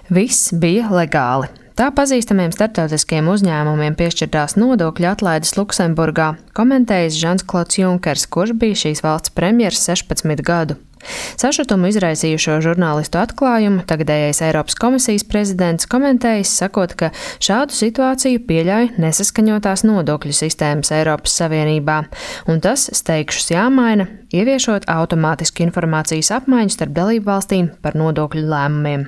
Viss bija legāli. Tā pazīstamiem starptautiskiem uzņēmumiem piešķirtās nodokļu atlaides Luksemburgā komentējis Žans-Klods Junkers, kurš bija šīs valsts premjers 16 gadu. Sašutumu izraisījušo žurnālistu atklājumu tagadējais Eiropas komisijas prezidents komentējis, sakot, ka šādu situāciju pieļauj nesaskaņotās nodokļu sistēmas Eiropas Savienībā, un tas steigšus jāmaina, ieviešot automātisku informācijas apmaiņu starp dalību valstīm par nodokļu lēmumiem.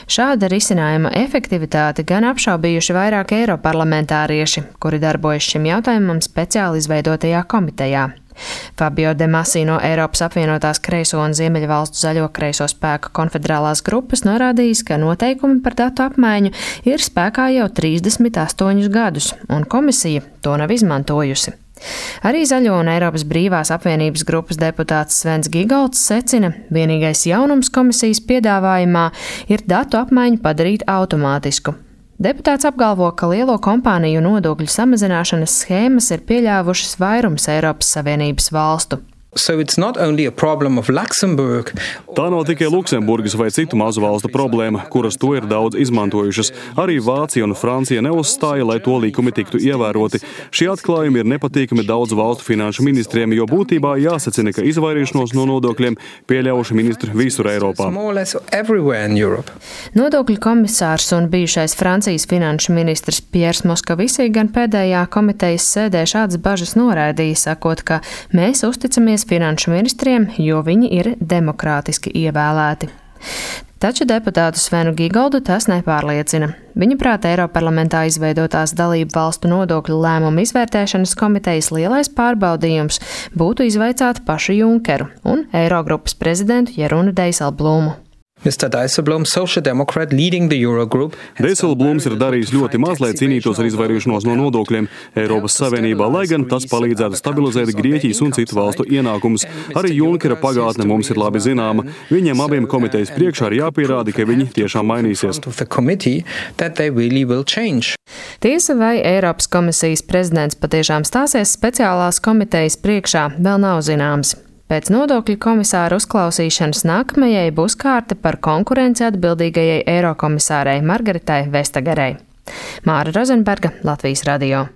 Šāda risinājuma efektivitāti gan apšaubījuši vairāk eiroparlamentārieši, kuri darbojas šim jautājumam speciāli izveidotajā komitejā. Fabio De Masi no Eiropas apvienotās kreiso un Ziemeļvalstu zaļo kreiso spēku konfederālās grupas norādījis, ka noteikumi par datu apmaiņu ir spēkā jau 38 gadus, un komisija to nav izmantojusi. Arī Zaļo un Eiropas brīvās apvienības grupas deputāts Svens Gigolds secina, vienīgais jaunums komisijas piedāvājumā ir datu apmaiņu padarīt automātisku. Deputāts apgalvo, ka lielo kompāniju nodokļu samazināšanas schēmas ir pieļāvušas vairums Eiropas Savienības valstu. Tā nav tikai Luksemburgas vai citu mazu valstu problēma, kuras to ir daudz izmantojušas. Arī Vācija un Francija neuzstāja, lai to likumi tiktu ievēroti. Šie atklājumi ir nepatīkami daudzu valstu finanšu ministriem, jo būtībā jāsacina, ka izvairīšanos no nodokļiem pieļaujuši ministri visur Eiropā. Nodokļu komisārs un bijušais Francijas finanšu ministrs Piers Moskovisī gan pēdējā komitejas sēdē šādas bažas noraidīja, sakot, ka mēs uzticamies finanšu ministriem, jo viņi ir demokrātiski ievēlēti. Taču deputātu Svenu Gigoldu tas nepārliecina. Viņa prāt Eiroparlamentā izveidotās dalību valstu nodokļu lēmumu izvērtēšanas komitejas lielais pārbaudījums būtu izvaicāt pašu Junkeru un Eirogrupas prezidentu Jerunu Dijsselbloemu. Dijsselbloems ir darījis ļoti maz, lai cīnītos ar izvairīšanos no nodokļiem Eiropas Savienībā, lai gan tas palīdzētu stabilizēt Grieķijas un citu valstu ienākumus. Arī Junkera pagātne mums ir labi zināma. Viņiem abiem komitejas priekšā ir jāpierāda, ka viņi tiešām mainīsies. Tiesa, vai Eiropas komisijas prezidents patiešām stāsies speciālās komitejas priekšā, vēl nav zināms. Pēc nodokļu komisāra uzklausīšanas nākamajai būs kārta par konkurenci atbildīgajai eirokomisārei Margaritai Vestagerei. Māra Rozenberga, Latvijas radio.